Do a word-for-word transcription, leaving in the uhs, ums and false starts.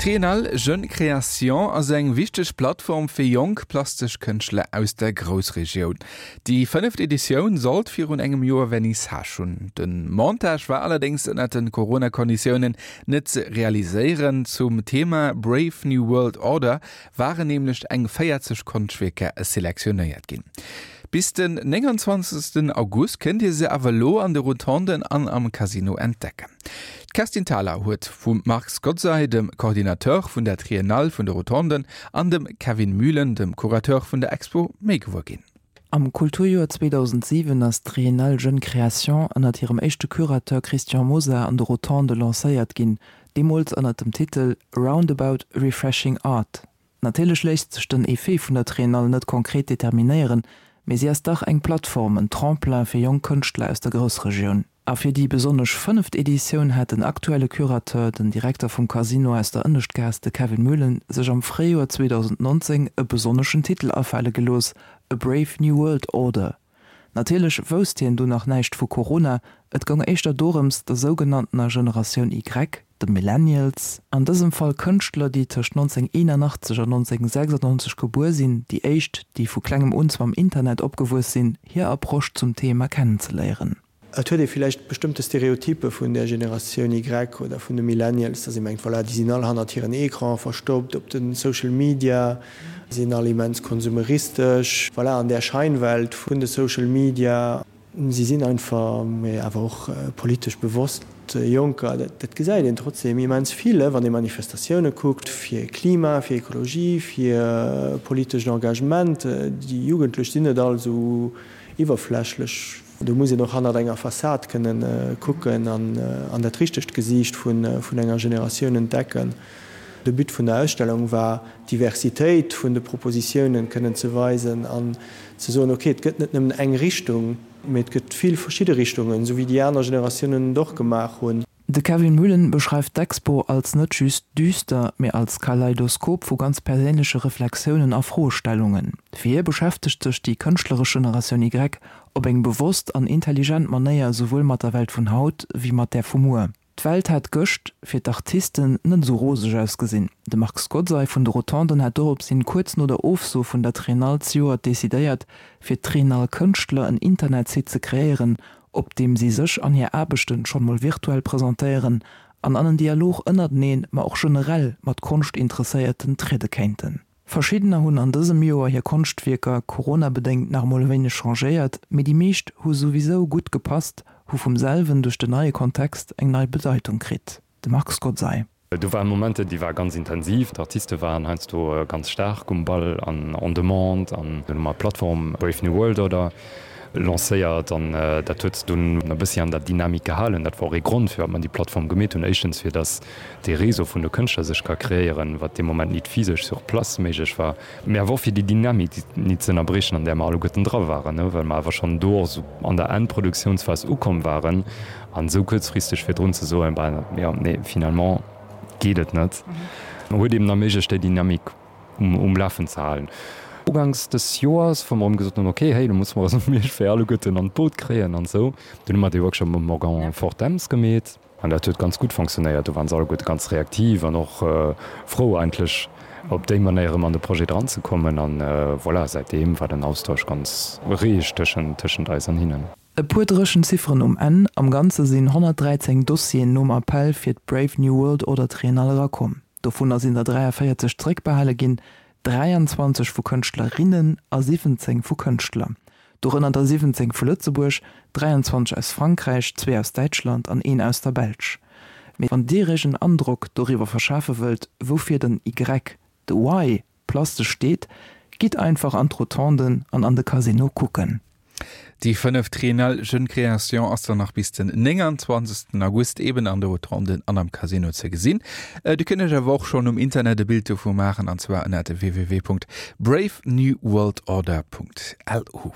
D'Triennale Jeune Création ass eng wichteg Plattform fir jonk plastesch Kënschtler aus der Groussregioun. Déi fënneft Editioun sollt virun engem Joer Vernissage hunn. De Montage war allerdéngs ënnert de Corona-Konditiounen net ze realiséieren. Zum Thema Brave New World Order waren nämlech eng véierzeg Konschtwierker selektionéiert ginn. Bis den nénganzwanzegsten August kënnt Dir se awer elo an de Rotonden an am Casino entdecken. D'Kerstin Thalau huet vum Marc Scozzai, dem Coordinateur vun der Triennale vun de Rotonden, an dem Kevin Mühlen, dem Curateur vun der Expo, méi gewuer ginn. Am Kulturjoer zweedausendsiwen ass d'Triennale Jeune Création ënnert hirem éischte Curateur Christian Mosar an de Rotonde lancéiert ginn, deemools ënnert dem Titel Roundabout Refreshing Art. Natierlech léisst sech den Effet vun der Triennale net konkret determinéieren, mee si ass dach eng Plattform, en Tremplin fir jonk Kënschtler aus der Groussregioun. A fir déi besonnesch fënneft Editioun hat den aktuelle Curateur, den Direkter vum Casino aus der Ënneschtgaass, de Kevin Muhlen, sech am Fréijoer zweedausendnonzéng e besonneschen Titel afale gelooss, A Brave New World Order. Natierlech wousst hien du nach näischt vu Corona, et goung éischter dorëms, der sougenanntener Generatioun Y, de Millennials, an dësem Fall Kënschtler, déi tëscht nonzénhunnerteenanachtzeg an nonzénhunnertsechsannonzeg gebuer sinn, déi éischt, déi vu klengem un mam Internet opgewuess sinn, hir Approche zum Thema kennenzeléieren. Et huet ee villäicht bestëmmte Stereotyppe vun der Generatioun Y oder vun de Millennials, datt ee mengt, voilà, déi sinn all hannert hiren Ecrane verstoppt, op de Social Media, sinn all immens konsumeristesch, voilà, an där Scheinwelt vun de Social Media. Si sinn einfach, mee awer och politesch bewosst Jonker. Dat gesäit een trotzdeem immens vill, wann ee Manifestatioune kuckt fir Klima, fir Ekologie, fir politescht Engagement. Déi Jugendlech sinn net all esou iwwerflächlech. Do muss een och hannert enger Fassad kënnen kucken an dat richtegt Gesiicht vun enger Generatioun entdecken. De But vun der Ausstellung war, d'Diversitéit vun de Propositiounen kënnen ze weisen an ze soen, ok, et gëtt net nëmmen eng Richtung, mee et gëtt vill verschidde Richtungen, esou wéi déi aner Generatiounen et och gemaach hunn. De Kevin Muhlen beschreift d'Expo als net just düster, mee als Kaleidoskop vu ganz perséinleche Reflexiounen a Froestellungen. Fir hie beschäftegt sech déi kënschtleresch Generatioun Y op eng bewosst an intelligent Manéier souwuel mat der Welt vun haut wéi mat där vu muer. D'Welt hat gëscht fir d'Artisten net esou roseg ausgesinn. De Marc Scozzai vun de Rotonden hat dorops hin kuerz no der Ofso vun der Triennale zejoert decidéiert, fir d'Triennale-Kënschtler en Internetsite ze kreéieren, op deem si sech an hir Aarbechten schonn mol virtuell presentéieren an an en Dialog ënnerteneen, ma och generell mat Konschtinteresséierten triede kéinten. Verschiddener hunn an dësem Joer hir Konschtwierker coronabedéngt nach emol e wéineg changéiert, mee déi meescht hu souwisou gutt gepasst, hu vum selwen duerch den neie Kontext eng nei Bedeitung kritt. De Marc Scozzai. Do ware Momenter, déi ware ganz intensiv. D'Artiste waren heiansdo ganz staark um Ball an en demande. An dunn hu mer d'Plattform Brave New World Order lancéiert an dat huet dunn e bëssi an der Dynamik gehalen. Dat war och ee Grond, firwat mer déi Plattform gemeet hunn. Éischtens, fir datt dee Réseau vun de Kënschtler sech ka kreéieren, wat dee Moment nit physesch sur place méiglech war, mee awer och fir déi Dynamik nit ze ënnerbriechen, an där mer alleguerten dra waren, well mer awer schonn do och esou an der Endproduktiounsphas ukomm waren an esou kuerzfristeg virdrun ze soen, ben jo, nee, finalement geet et net, huet eeben erméiglecht, déi Dynamik um Lafen ze halen. Uganks des Joers, wou mer erëm gesot hunn, ok, hey, lo musse mer eis iergendwéi alleguerten an d'Boot kréien an esou. Dunn hu mer dee Workshop mam Morgan Fortemps gemeet. An dat huet ganz gutt fonctionnéiert. Do waren se alleguerte ganz reaktiv an och frou eigentlech op déi Manéier erëm an de Projet dranzekommen. An voilà, säitdeem war den Austausch ganz reeg tëschent tëschent eis an hinnen. E puer dréchen Zifferen um Enn, Am Ganze sinn honnertdräizéng Dossieren nom Appell fir d'Brave New World Order Triennale erakomm. Dovunner sinn der dräiavéierzeg zeréckbehale ginn, dräianzwanzeg vu Kënschtlerinnen a siwwenzéng vu Kënschtler. Dorënner der siwwenzéng vu Lëtzebuerg, dräianzwanzeg aus Frankräich, zwee aus Däitschland an een aus der Belsch. Mee wann Dir Iech en Androck doriwwer verschafe wëllt, woufir den Y, de Y plastesch steet, gitt einfach an d'Rotonden an an de Casino kucken. Déi fënneft Triennale Jeune Création ass dann nach bis den nénganzwanzegsten August eben an de Rotonden an am Casino ze gesinn. Dir kënnt iech awer och schonn um Internet e Bild dovu maachen an zwar ënnert www.bravenewworldorder.lu.